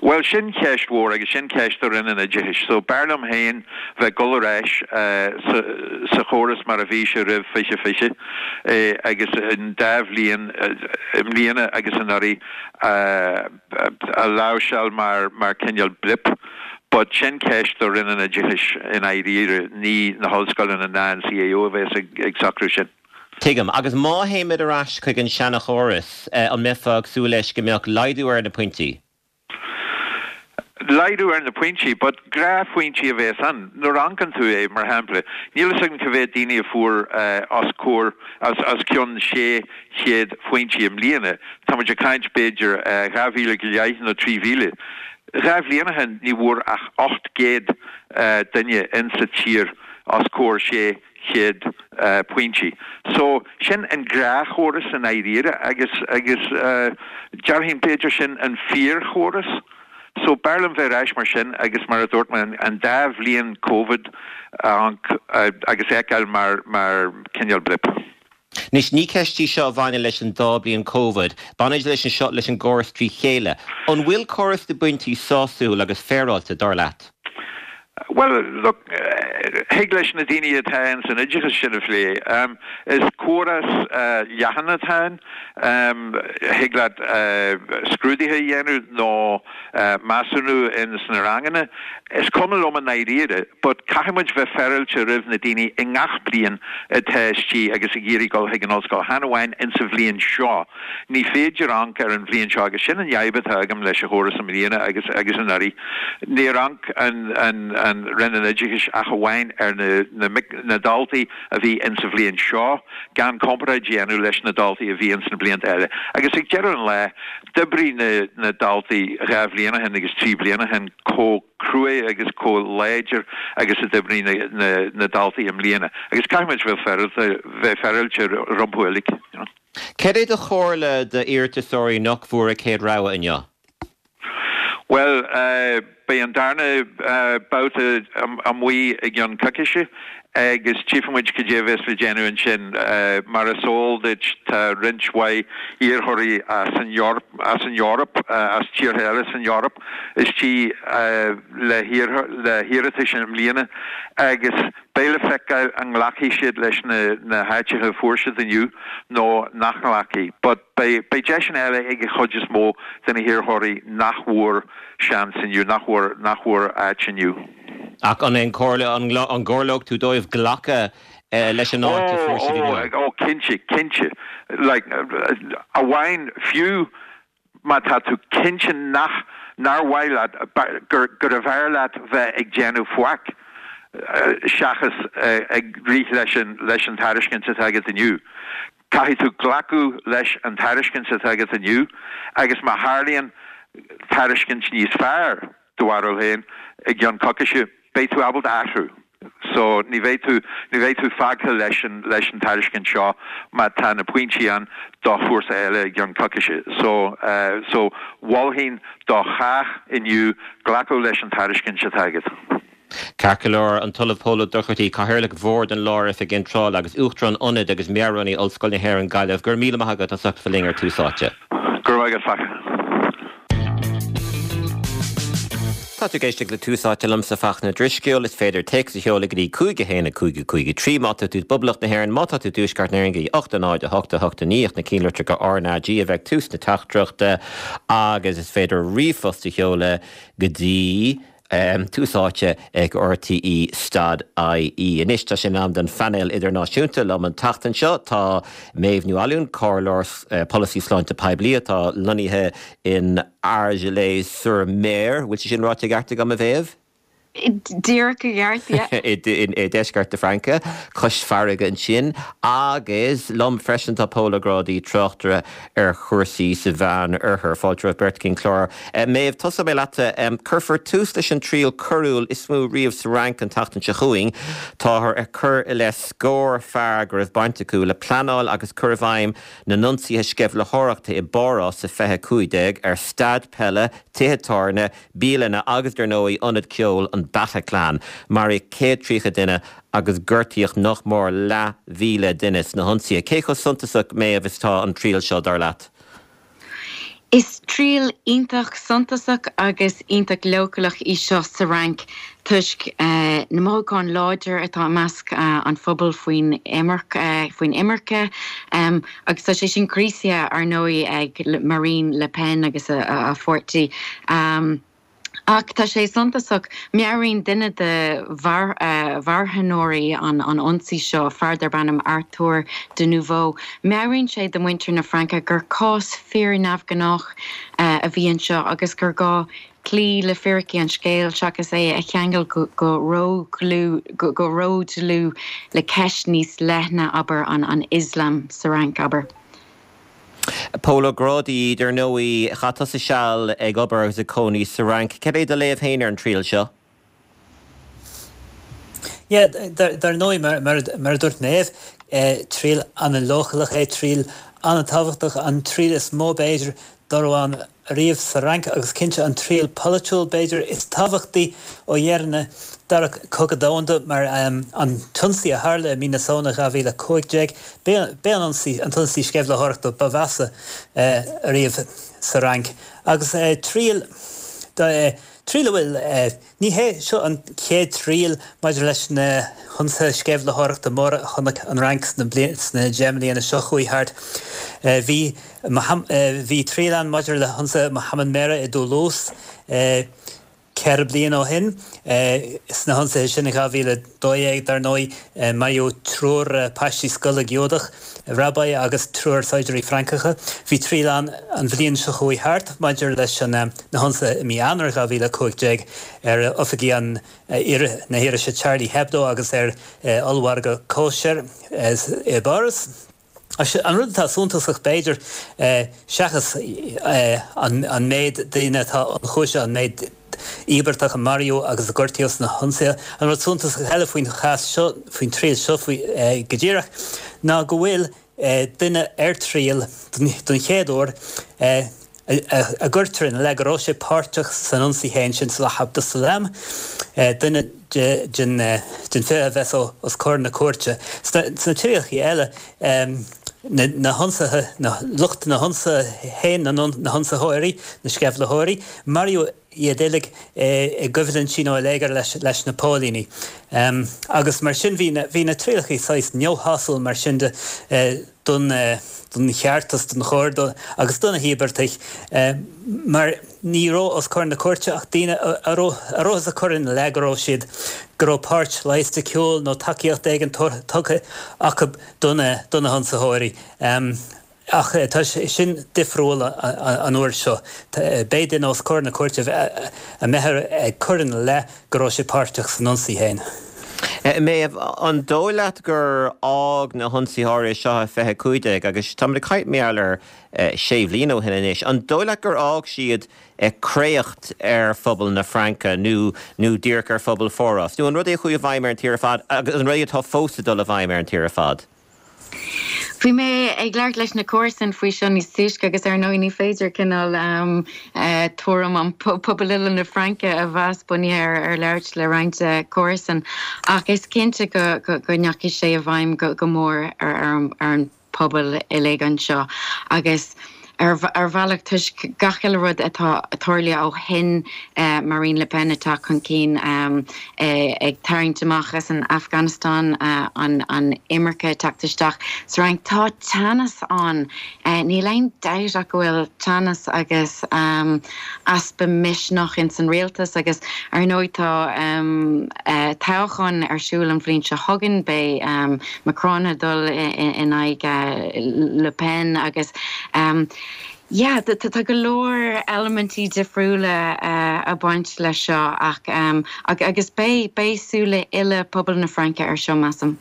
Bhuel, sin ceist mhór agus sin ceist do Roinn an Oideachais. So, b'fhearr liom féin bheith ag dul ar ais sa sa chóras mar a bhí sé roimh 2020 agus an dá bhliain, i mbliana agus anuraidh, a láimhseáil mar mar cineál blip. But sin ceist do Roinn an Oideachais i ndáiríre, ní na hollscoileanna ná an CAO a bheas ag ag socrú sin. Tuigim. Agus má théimid ar ais chuig an seanchóras, an mbeifeá ag súil leis go mbeadh laghdú ar na pointí? Laghdú ar na pointí, but gnáthphointí a bheas ann. Nuair a amharcann tú é, mar shampla, níl fhios agam cá mhéad daoine a fuair os comhair, os cionn 600 phointí i mbliana, tá muid ag caint b'fhéidir 2,000 go leith nó 3,000. Dhá bhliain ó shin ní bhfuair ach 800 duine insa tír os comhair 600 pointí. So, sin an gnáthchóras i ndáiríre agus, agus déarfainn b'fhéidir sin an fíorchóras. So, b'fhearr liom bheith ar ais mar sin agus mar a dúirt mé, an dá bhliain Covid a amharc agus a fheiceáil mar, mar cineál blip. Anois, ní ceist í seo a bhaineann leis an dá bliain Covid. Baineann leis seo leis an gcóras trí chéile. An bhfuil córas na bpointí sásúil agus féaráilte, dar leat? Bhuel, look, thig leis na daoine atá ins an oideachas sin a phlé. Is córas leathan atá ann. Thig leat scrúduithe a dhéanamh nó measúnú ins na ranganna. Is cuma liom i ndáiríre, but caithfidh muid bheith féaráilte roimh na daoine i ngach bliain atá istigh agus ag iarraidh dul chuig an ollscoil, chan amháin ins an bhliain seo. Ní féidir amharc ar an bhliain seo agus sin an fhadhb atá agam leis an chóras i mbliana agus agus anuraidh. Níor amharc an an an Roinn an Oideachais ach amháin ar na na mic na daltaí a bhí ins an bhliain seo gan comparáid a dhéanamh leis na daltaí a bhí ins na blianta eile. Agus ag deireadh an lae, D'oibrigh na daltaí dhá bhliain ó shin agus trí bliana ó shin chomh cruaidh agus chomh láidir agus a d'oibrigh na daltaí i mbliana agus caithfidh muid bheith bheith féaráilte rompu uilig. Cad é do chomhairle d'iarratasóirí nach bhfuair a céad rogha inniu? Bhuel, beidh an darna babhta amuigh i gceann coicíse agus tchífidh muid cad é a bheas le déanamh ansin. Mar is eol duit tá roinnt mhaith iarrthóirí as an as an Eoraip, as tíortha eile san Eoraip istigh le hiarratais i mbliana agus beidh le feiceáil an nglacfaidh siad leis na háiteacha a fuair siad inniu nó nach nglacfaidh. But. Beidh deiseanna eile ag an chuid is mó de na hiarrthóirí nach bhfuair seans inniu, nach bhfuair, nach bhfuair áit inniu. Ach an é an comhairle, an gcomhairleodh tú dóibh glacadh leis an áit a fuair siad inniu? Ó, ó, cinnte, cinnte. Like, amháin, fiú má tá tú cinnte nach, nár mhaith leat, gur, gurbh fhearr leat bheith ag déanamh faic seachas ag rith leis an, leis an tairiscint atá agat inniu. Caithfidh tú glacadh leis an tairiscint atá agat inniu agus má tharlaíonn tairiscint níos fearr, do bharúil féin, i gceann coicíse, beidh tú ábalta athrú. So, ní bheidh tú, ní bheidh tú fágtha leis an, leis an tairiscint seo má tá na pointí ann do chúrsa eile i gceann coicíse. So, so, mholfainn do chách inniu glacadh leis an tairiscint atá agat. Ceart go leor, an tOllamh Pól Ó Dochartaigh, Cathaoirleach Bhord an Lár-Oifig Iontrála agus Uachtarán Ionad agus Meabhair-Rúnaí Ollscoil na hÉireann, Gaillimh, go raibh míle maith agat as ucht bheith linn ar Tús Áite. Go raibh maith agat, Fachtna. Tá tú ag éisteacht le Tús Áite liomsa, Fachtna Drisceoil. Is féidir téacs a sheoladh go dtí 5 1 5 5 3 má tá tú i bPoblacht na hÉireann, má tá tú i dTuaisceart na hÉireann go dtí 8 0 8 8 9 ach na cinnlitreacha RnaG a bheith ag tús na teachtaireachta agus is féidir ríomhphost a sheoladh go dtí Tús Áite ag RTÉ stad IE. Anois tá sé in am don phainéal idirnáisiúnta. Liom an tseachtain seo tá Méabh Ní Fhallúin, Comhairleoir Polasaí Sláinte Poiblí atá lonnaithe in Argelès-sur-Mer. Bhfuil sé sin ráite i gceart agam, a Mhéabh? Díreach i gceart, yeah. I ndeisceart na Fraince, cois farraige ansin. Agus liom freisin tá Pól Ó Grádaigh, tráchtaire ar chúrsaí sa Mheán Oirthear. Fáilte romhaibh beirt chuig an chlár. Méabh, tosóidh mé leatsa. Cuirfear tús leis an triail coiriúil is mó riamh sa Fhrainc an tseachtain seo chugainn. Táthar ag cur i leith scór fear go raibh baint acu le pleanáil agus cur i bhfeidhm na n-ionsaithe sceimhlitheoireachta i bPáras i 2015 ar staid peile, tithe tábhairne, bialanna agus, dar ndóigh, ionad ceoil an Bataclan. Maraíodh 130 duine agus gortaíodh nach mór leathmhíle duine sna hionsaithe. Cé chomh suntasach, Méabh, is atá an triail seo, dar leat? Is triail iontach suntasach agus iontach leochaileach í seo sa Fhrainc toisc na mothúcháin láidir atá i measc an phobail faoin faoin imirce agus tá sé sin gríosaithe, ar ndóigh, ag Marine Le Pen agus a pháirtí. Ach tá sé suntasach, meabhraíonn duine de mharthanóirí an ionsaí seo, fear darb ainm Arthur de Neuvoo, meabhraíonn sé do mhuintir na Fraince gur cás fíor-neamhghnách a bhí anseo agus gur gá cloí le fíricí an scéil seachas é a cheangal go ródhlúth le ceist níos leithne, abair, an Ioslam sa Fhrainc, abair. Pól Ó Grádaigh, dar ndóigh, chaith tusa seal ag obair agus ag cónaí sa Fhrainc. Cad é do léamh féin ar an triail seo? Yeah, dar ndóigh, mar a dúirt Méabh, triail an-leochaileach é, triail an-tábhachtach, an triail is mó b'fhéidir dá raibh ann ariamh sa Fhrainc agus cinnte an triail polaitiúil b'fhéidir is tábhachtaí ó dheireadh na Dara Cogadh Domhanda mar an t-ionsaí a tharla i mí na Samhna 2015, b'é an ionsaí, an t-ionsaí sceimhlitheoireachta ba mheasa ariamh sa Fhrainc agus triail, triail a bhfuil. Ní hé seo an chéad triail maidir leis na hionsaithe sceimhlitheoireachta móra a chonaic an Fhrainc sna 10 mbliana seo chuaigh thart. Bhí bhí triail ann maidir le hionsaithe Mohammed Merah i dToulouse ceithre bliana ó shin. Sna hionsaithe sin in 2012, dar ndóigh, maraíodh triúr páistí scoile Giúdach. Rabbi agus triúr saighdiúirí Francacha. Bhí triail ann an bhliain seo chuaigh thart maidir leis na hionsaithe i mí Eanáir 2015 ar oifigí an na hirise Charlie Hebdo agus ar ollmhargadh kosher i bPáras. An rud atá suntasach b'fhéidir, seachas an méid daoine atá ionchúisithe, an méid íobartach a maraíodh agus a gortaíodh sna hionsaithe. An rud suntasach eile faoin chás seo, faoin triail seo go díreach, ná go bhfuil duine ar triail don chéad uair a gcuirtear ina leith go raibh sé páirteach san ionsaí féin sin, Salah Abdeslam, duine den 20 a bheas os comhair na cúirte. Sna trialacha eile, na hionsaithe, lucht na n-ionsaithe féin, na hionsaitheoirí, na sceimhlitheoirí, maraíodh iad uilig i gcoimhlintí nó i léigear leis na póilíní. Agus mar sin bhí na trialacha saghas neamhshásúil mar sin de don cheartas, don chóir agus do na híobartaigh mar ní raibh os comhair na cúirte ach daoine a rabhthas ag cur ina leith go raibh siad, go raibh páirt loighisticiúil nó tacaíocht éigin tugtha acu do na hionsaitheoirí. Ach tá sé sin difriúil an uair seo. Beidh duine os comhair na cúirte a mbeifear ag cur ina leith go raibh sé páirteach san ionsaí féin. Méabh, an dóigh leat gur fhág na hionsaithe áirithe seo i 2015, agus táimid ag caint mar gheall ar sé bhliain ó shin anois, an dóigh leat gur fhág siad créacht ar phobal na Fraince nó nó díreach ar phobal Pháras? Nó an rud é a chuaigh i bhfeidhm ar an tír ar fad agus an rud é atá fós ag dul i bhfeidhm ar an tír ar fad? Bhí mé ag labhairt leis na comharsain faoi seo níos túisce agus ar ndóigh ní féidir cineál tuairim an pobal uile na Fraince a mheas bunaithe ar labhairt le roinnt comharsan ach is cinnte go ndeachaigh sé i bhfeidhm go mór ar an pobal uilig anseo agus ar bhealach toisc gach uile rud atá tarlaithe ó shin, Marine Le Pen ag teacht chun cinn, ag tarraingt amach as an Afganastáin, an imirce ag teacht isteach sa Fhrainc. Tá teannas ann, níl aon dabht ach go bhfuil teannas agus easpa misneach ins an rialtas agus ar ndóigh tá toghchán ar siúl an bhliain seo chugainn, beidh Macron ag dul in aghaidh Le Pen agus. Yeah, tá go leor eilimintí difriúla ag baint leis seo ach agus beidh, beidh súile uile pobal na Fraince ar seo, measaim.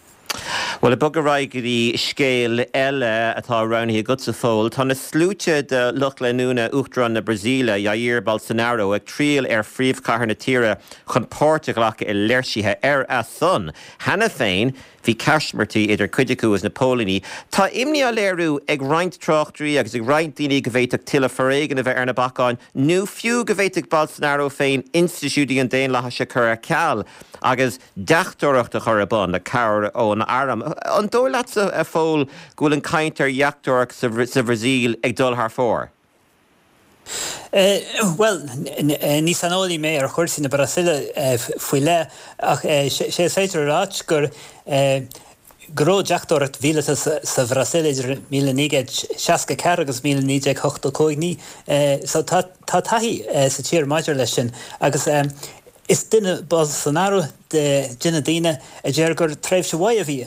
Bhuel, ag bogadh ar aghaidh go dtí scéal eile atá roghnaithe agatsa, Phóil. Tá na sluaite de lucht leanúna Uachtarán na Brasaíle, Jair Bolsonaro, ag triall ar phríomhchathair na tíre chun páirt a ghlacadh i léirsithe ar a son. Cheana féin, bhí caismirtí idir cuid acu agus na póilíní. Tá imní á léiriú ag roinnt tráchtairí agus ag roinnt daoine go bhféadfadh tuilleadh foréigin a bheith ar na bacáin nó fiú go bhféadfadh Bolsonaro féin institiúidí an daonlathais a chur ar ceal agus deachtóireacht a chur ar bun le cabhair ón arm. An dóigh leatsa, a Phóil, go bhfuil an chaint ar dheachtóireacht sa Bhrasaíl ag dul thar fóir? Bhuel, ní saineolaí mé ar chúrsaí na Brasaíle faoi leith, ach sé is féidir a ráit gur go raibh deachtóireacht mhíleata sa Bhrasaíl idir 1964 agus 1985. Ní, so tá taithí sa tír maidir leis sin agus Is duine Bolsonaro de na daoine a deir gur tréimhse mhaith a bhí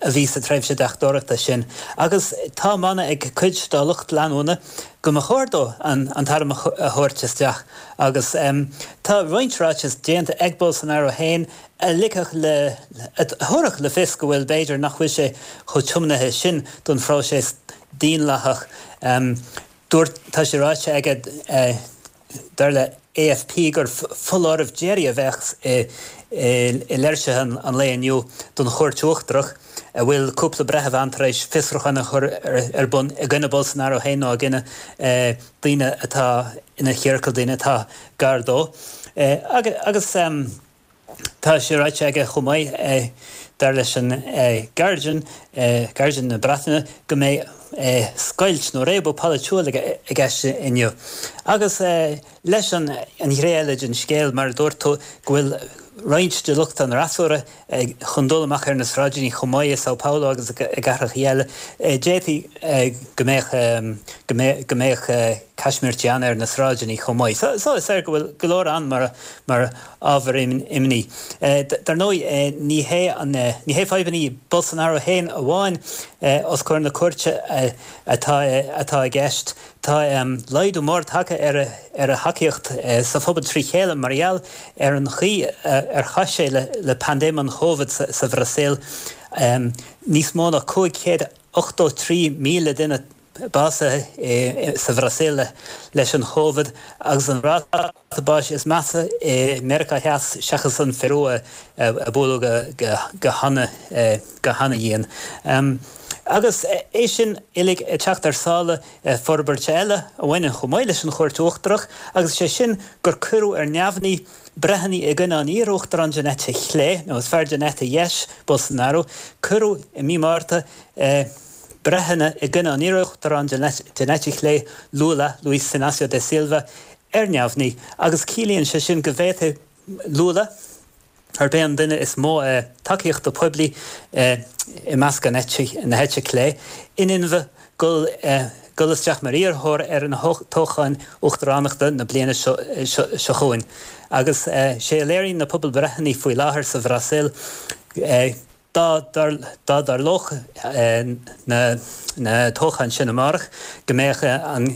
a bhí sa tréimhse deachtóireachta sin agus tá an mana ag cuid dá lucht leanúna go mba chóir dó an t-arm a thabhairt isteach agus tá roinnt ráiteas déanta ag Bolsonaro féin a ligfeadh le a thabharfadh le fios go bhfuil b'fhéidir nach bhfuil sé chomh tiomnaithe sin don phróiseas daonlathach. Dúirt, tá sé ráite aige, dar le AFP, gur foláireamh deiridh a bheadh i léirsithe an lae inniu don Chúirt Uachtarach, a bhfuil cúpla breitheamh ann tar éis fiosrúchán a chur ar bun i gcoinne Bolsonaro féin nó i gcoinne daoine atá ina chiorcal, daoine atá gar dó. Agus. Tá sé ráite aige chomh maith, dar leis an Guardian, Guardian na Breataine, go mbeidh scoilt nó réabadh polaitiúil i gceist inniu. Agus leis an ghné eile den scéal, mar a dúirt tú, go bhfuil roinnt de lucht an fhreasúra chun dul amach ar na sráideanna chomh maith i São Paulo agus i gcathracha eile, d'fhéadfaí go mbeadh go mbeadh caismirtí ann ar na sráideanna chomh maith. So is léir go bhfuil go leor ann mar mar ábhar imní. Dar ndóigh, ní hé an, ní hé fadhbanna Bolsonaro féin amháin os comhair na cúirte atá atá i gceist. Tá laghdú mór tagtha ar ar a thacaíocht sa phobal trí chéile mar gheall ar an chaoi ar chaith sé le paindéim an Chovid sa Bhrasaíl. Níos mó ná 583,000 duine básaithe sa Bhrasaíl leis an Chovid agus an ráta báis is measa i Meiriceá Theas seachas an Pheiriú a buaileadh go hana-dhian. Agus é sin uilig ag teacht ar sála forbairt eile a bhaineann chomh maith leis an Chúirt Uachtarach agus sé sin gur cuireadh ar neamhní breitheanna i gcoinne an iar-uachtaráin den eite chlé, nó is fearr den eite dheis, Bolsonaro, cuireadh i mí Márta breitheanna i gcoinne an iar-uachtaráin den eite chlé, Lula, Luiz Inácio da Silva, ar neamhní agus ciallaíonn sé sin go bhféadfaidh Lula, arb é an duine is mó tacaíochta poiblí i measc na heite clé, in inmhe dul dul isteach mar iarrthóir ar na toghcháin uachtaránachta na bliana seo chugainn. Agus sé a léiríonn na pobalbhreitheanna faoi láthair sa Bhrasaíl, Dá dtarlódh na toghcháin sin amárach, go mbeadh an,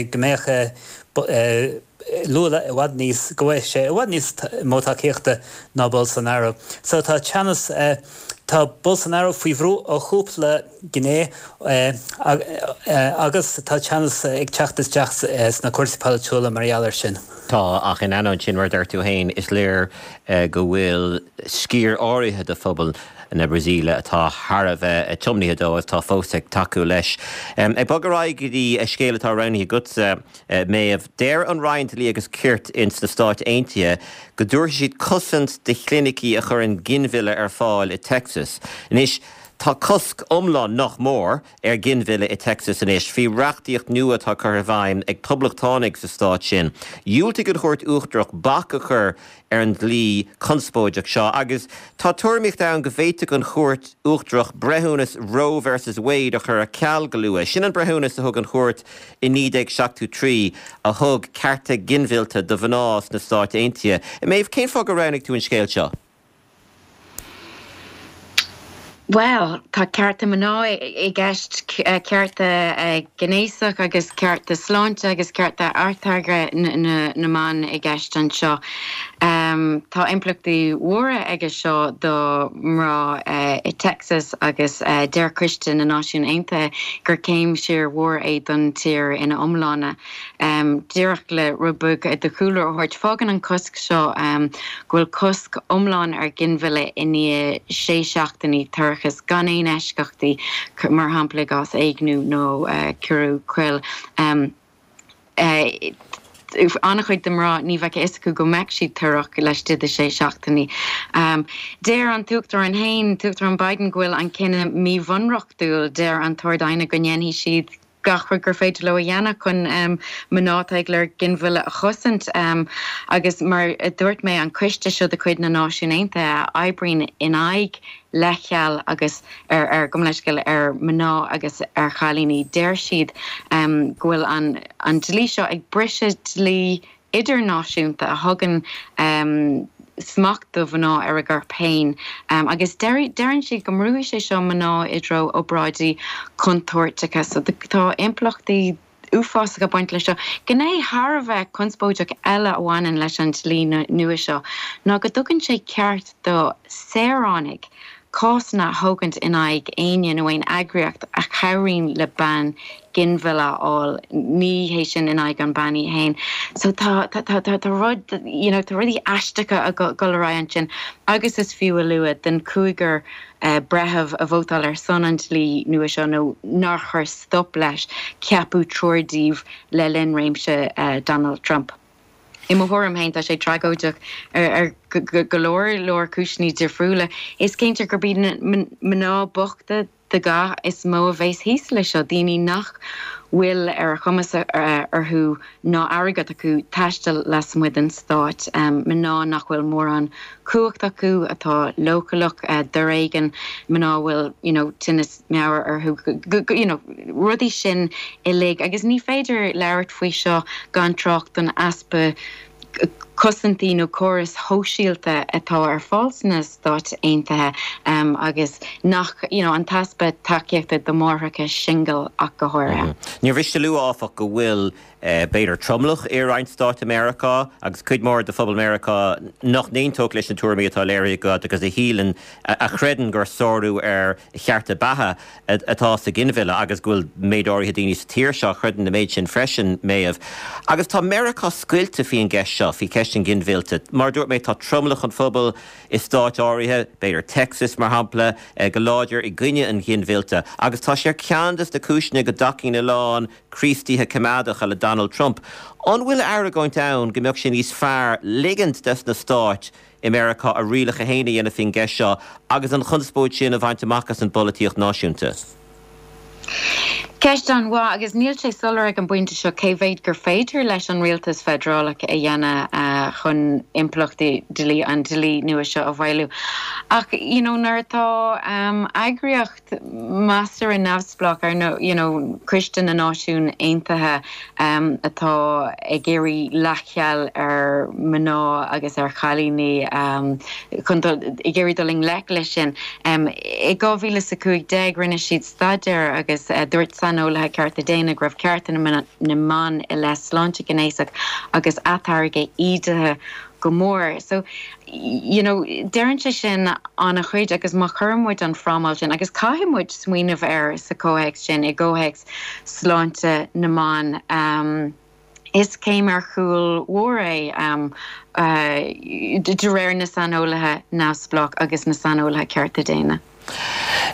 go mbeadh Lula i bhfad níos, go bhfaigheadh sé i bhfad níos mó tacaíochta ná Bolsonaro. So tá teannas, tá Bolsonaro faoi bhrú ó chúpla gné agus tá teannas ag teacht isteach sna cúrsaí polaitiúla mar gheall air sin. Tá, ach in ainneoin sin, mar a deir tú féin, is léir go bhfuil sciar áirithe de phobal na Brasaíle atá thar a bheith tiomnaithe dó agus atá fós ag tacú leis. Ag bogadh ar aghaidh go dtí scéal atá roghnaithe agatsa, Méabh. Deir an Roinn Dlí agus Cirt ins na Stáit Aontaithe go dtabharfaidh siad cosaint do chlinicí a chuireann ginmhilleadh ar fáil i Texas. Anois, tá cosc iomlán, nach mór, ar ghinmhilleadh i Texas anois, faoi reachtaíocht nua atá curtha i bhfeidhm ag poblachtánaigh sa stát sin. Dhiúltaigh an Chúirt Uachtarach bac a chur ar an dlí conspóideach seo agus tá tuairimíocht ann go bhféadfadh an Chúirt Uachtarach breithiúnas Roe versus Wade a chur ar ceal go luath. Sin an breithiúnas a thug an chúirt i 1973 a thug cearta ginmhillte do mhná sna Stáit Aontaithe. Méabh, cén fáth gur roghnaigh tú an scéal seo? Bhuel, tá cearta mná i gceist, cearta gnéasach agus cearta sláinte agus cearta atáirgthe na mban i gceist anseo. Tá impleachtaí mhóra aige seo do mná i Texas agus deir Coiste na Náisiún Aontaithe gur céim siar mhór é don tír ina iomláine. Díreach le rud beag de chúlra a thabhairt, fágann an cosc seo go bhfuil cosc iomlán ar ghinmhilleadh i ndiaidh sé seachtainí toirchis, gan aon eisceachtaí, mar shampla i gcás éigniú nó ciorrú coil. An-chuid de mná, ní bheadh a fhios acu go mbeadh siad torrach laistigh de sé seachtainí. Deir an tUachtarán féin, Uachtarán Biden, go bhfuil an cinneadh míbhunreachtúil. Deir an tArd-Aighne go ndéanfaidh siad gach rud gur féidir leo a dhéanamh chun mná atá ag lorg ginmhilleadh a chosaint agus mar a dúirt mé an coiste seo de chuid na Náisiún Aontaithe a oibríonn in aghaidh leithcheal agus ar ar gabh mo leithscéal ar mná agus ar chailíní deir siad go bhfuil an an dlí seo ag briseadh dlí idirnáisiúnta a thugann smacht do mhná ar a gcorp féin agus deireann siad go mbrúfaidh sé seo mná i dtreo obráidí contúirteacha. So tá impleachtaí uafásacha ag baint leis seo. Gné thar a bheith conspóideach eile a bhaineann leis an dlí nua seo ná go dtugann sé ceart do saoránaigh cásanna a thógaint in aghaidh éinne nó aon eagraíocht a chabhraíonn le bean ginmhilleadh a fháil, ní hé sin in aghaidh an bean í fhéin. So tá, tá, tá, tá rud, you know, tá rudaí aisteacha ag dul ar aghaidh ansin agus is fiú a lua den chúigear breitheamh a vótáil ar son an dlí nua seo nó nár chuir stop leis, ceapadh triúr díobh le linn réimse Donald Trump. I mo thuairim féin, tá sé tragóideach ar go leor leor cúiseanna difriúla. Is cinnte gurb iad na mná bochta de ghnáth is mó a bheas thíos leis seo, daoine nach bhfuil ar a chumas orthu ná airgead acu taisteal lasmuigh den stát, mná nach bhfuil mórán cumhacht acu, atá leochaileach d'fhoréigean, mná a bhfuil you know tinneas meabhair orthu, you know, rudaí sin uilig. Agus ní féidir labhairt faoi seo gan trácht don easpa cosantaí nó córais shóisialta atá ar fáil sna Stáit Aontaithe agus nach, you know, an t-easpa tacaíochta do mháithreacha singil ach go háirithe. Níor mhiste a lua, áfach, go bhfuil b'fhéidir, tromlach i roinnt stáit i Meiriceá agus cuid mhór de phobal Meiriceá nach n-aontódh leis na tuairimí atá léirithe agat agus a shíleann, a chreideann gur sárú ar chearta beatha atá sa ghinmhilleadh agus go bhfuil méid áirithe daoine sa tír seo a chreideann an méid sin freisin, Méabh. Agus tá Meiriceá scoilte faoin gceist seo, faoi cheist an ghinmhillte. Mar a dúirt mé, tá tromlach an phobail i stáit áirithe, b'fhéidir Texas mar shampla, go láidir i gcoinne an ghinmhillte agus tá sé ar cheann de na cúiseanna go dtacaíonn a lán Críostaithe coimeádacha le Donald Trump. An bhfuil argóint ann go mbeadh sé níos fearr ligint des na stáit i Meiriceá a rialacha féin a dhéanamh faoin gceist seo agus an chonspóid sin a bhaint amach as an bpolaitíocht náisiúnta? Ceist an-mhaith agus níl sé soiléir ag an bpointe seo cé mhéad gur féidir leis an rialtas feidearálach a dhéanamh chun impleachtaí dlí an dlí nua seo a mhaolú. Ach you know nuair atá eagraíocht measartha neamhspleách ar nós you know Coiste na Náisiún Aontaithe atá ag iarraidh leithcheal ar mhná agus ar chailíní chun dul ag iarraidh dul i ngleic leis sin. I 2015 rinne siad staidéar agus dúirt saineolaithe cearta daonna go raibh cearta na mban i leith sláinte ghnéasach agus atáirgeadh ídithe go mór. So, you know, deireann sé sin an-chuid agus má chuireann muid an frámáil sin, agus caithfidh muid smaoineamh air sa chomhthéacs sin, i gcomhthéacs sláinte na mban, um, is céim ar chúl mhór é, um, uh, de réir na saineolaithe neamhspleách agus na saineolaithe cearta daonna.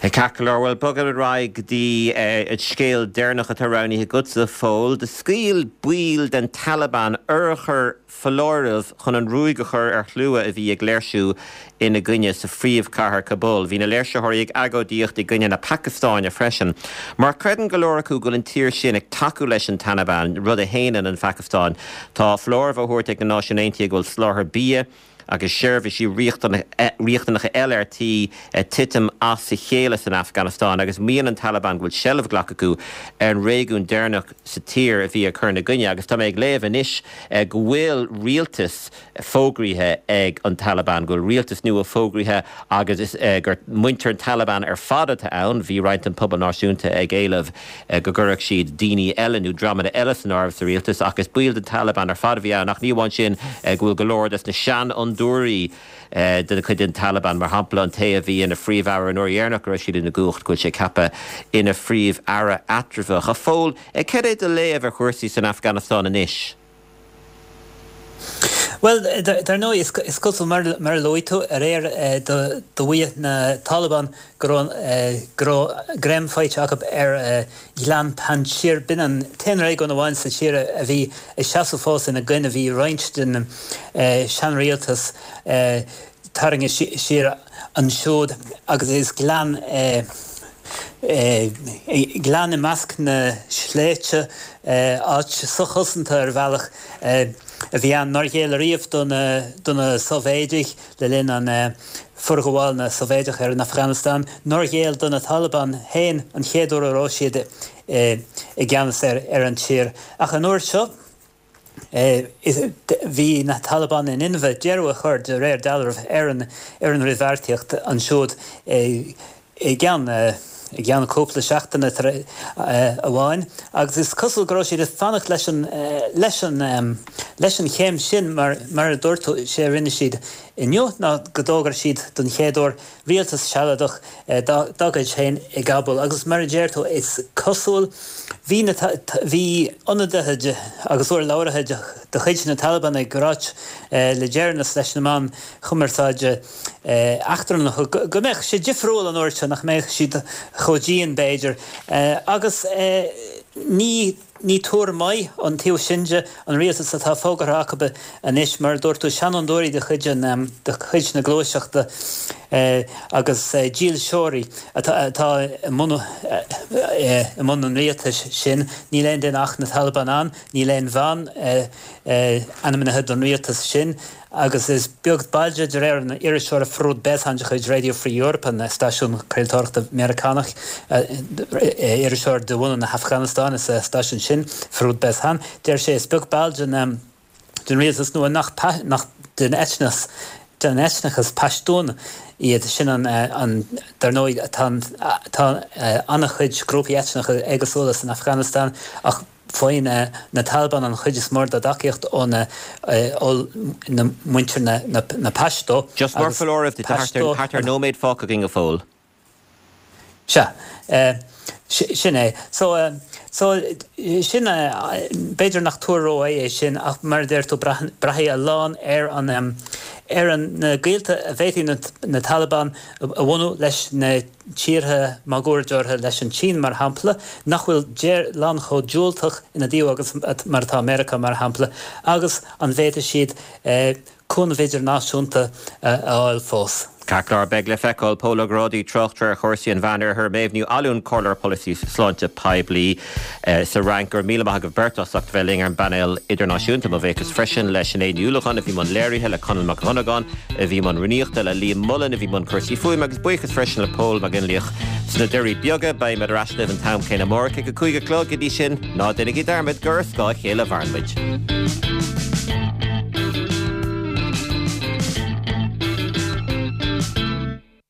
Ceart go leor, bhuel, bogaim ar aghaidh go dtí an scéal deireanach atá roghnaithe agatsa, a Phóil. Do scaoil baill den Taliban urchair foláirimh chun an ruaig a chur ar shlua a bhí ag léirsiú ina gcoinne sa phríomhchathair Kabul. Bhí na léirsitheoirí ag agóidíocht i gcoinne na Pacastáine freisin, mar creideann go leor acu go bhfuil an tír sin ag tacú leis an Taliban, rud a shéanann an Phacastáin. Tá foláireamh á thabhairt ag na Náisiúin Aontaithe go bhfuil soláthar bia. agus seirbhísí riachtanacha eile ar tí titim as a chéile san Afganastáin agus maíonn an Taliban go bhfuil seilbh glactha acu ar an réigiún deireanach sa tír a bhí ag cur ina gcoinne. Agus tá mé ag léamh anois go bhfuil rialtas fógraithe ag an Taliban, go bhfuil rialtas nua fógraithe agus is gur muintir an Taliban ar fad atá ann. Bhí roinnt den phobal náisiúnta ag éileamh go gcuirfeadh siad daoine eile nó dreamanna eile san áireamh sa rialtas ach is baill den Taliban ar fad a bhí ann ach ní amháin sin go bhfuil go leor des na seanfhondúirí de chuid an Taliban, mar shampla an té a bhí ina phríomh-aire an uair dheireanach go raibh siad ina gcumhacht, go bhfuil sé ceaptha ina phríomh-aire eatramhach. A Phóil, cad é do léamh ar chúrsaí san Afganastáin anois? Bhuel, dar ndóigh, is cosúil, mar a luaigh tú aréir, do mhaígh na Taliban go raibh greim faighte acu ar Ghleann Panjshir. B'in an t-aon réigiún amháin sa tír a bhí ag seasamh fós ina gcoinne. Bhí roinnt den seanrialtas tarraingthe siar ansiúd agus is gleann é, gleann i measc na sléibhte, áit sochosanta ar bhealach a bhí ann nár ghéill ariamh do na Sóivéidigh le linn an forghabháil na Sóivéideach ar an Afganastáin, nár ghéill do na Taliban féin an chéad uair a raibh siad i gceannas ar an tír. Ach an uair seo. Bhí na Taliban in inmhe deireadh a chur, de réir dealraimh, ar an fhrithbheartaíocht ansiúd i gceann i gceann cúpla seachtaine amháin agus is cosúil go raibh siad ag fanacht leis an leis an leis an chéim sin mar mar a dúirt tú, sé a rinne siad inniu ná go d'fhógair siad don chéad uair rialtas sealadach dá gcuid féin i gCabúl agus mar a deir tú, is cosúil, bhí na, bhí ionadaithe de agus urlabhraithe de chuid na Taliban ag ráit le deireanas leis na meáin chumarsáide eachtrannacha go mbeadh sé difriúil an uair seo, nach mbeadh siad chomh dian b'fhéidir agus ní. Ní tuar maith ón taobh sin de, an rialtas atá fógartha acu anois, mar a dúirt tú, seanfhondúirí de chuid de chuid na gluaiseachta agus dílseoirí atá i mbun i mbun an rialtais sin. Níl aon duine ach na Taliban ann, níl aon bhean ainmnithe don rialtas sin. Agus is beag ball de, de réir an iriseora Farouk Bezhan de chuid Radio Free Europe, an stáisiún craoltóireachta Meiriceánach, iriseoir de bhunadh na hAfganastáine sa stáisiún sin, Farouk Bezhan, deir sé is beag ball den den rialtas nua nach nach den eitneas den eitneachas Pashtún iad. Sin an an dar ndóigh tá tá an-chuid grúpaí eitneacha éagsúla san Afganastáin ach Faigheann na Taliban an chuid is mó dá dtacaíocht ó na muintir na Pashto. Just mar foláireamh duit, tá thart ar nóiméad fágtha againn a Phóil. Sea, sin é. So, so, sin, b'fhéidir nach tuar rómhaith é sin ach mar a deir tú, braithfidh a lán ar an, ar an, na gaolta a bhféadfaidh na Taliban a bhunú leis na tíortha máguaird orthu, leis an tSín mar shampla, nach bhfuil lán chomh diúltach ina dtaobh agus mar atá Meiriceá mar shampla, agus an bhféadfaidh siad cúnamh idirnáisiúnta a fháil fós. Ceart go leor, beidh le feiceáil. Pól Ó Grádaigh, tráchtaire ar chúrsaí an Mheánoirthir, Méabh Ní Fhallúin, Comhairleoir Polasaí Sláinte Poiblí sa Fhrainc. Go raibh míle maith agaibh beirt as ucht a bheith linn ar an bpainéal idirnáisiúnta. Mo bhuíochas freisin le Sinéad Ní Uallacháin a bhí i mbun léirithe, le Conall Mac Dhonnagáin a bhí i mbun rúnaíochta, le Liam Mullen a bhí i mbun cúrsaí fuaime agus buíochas freisin le Pól Mac Fhionnlaoich sna Doirí Beaga. Beidh muid ar ais libh an t-am céanna amárach ag a 5 a chlog. Go dtí sin, ná déanaigí dearmad gur ar scáth a chéile a mhaireann muid.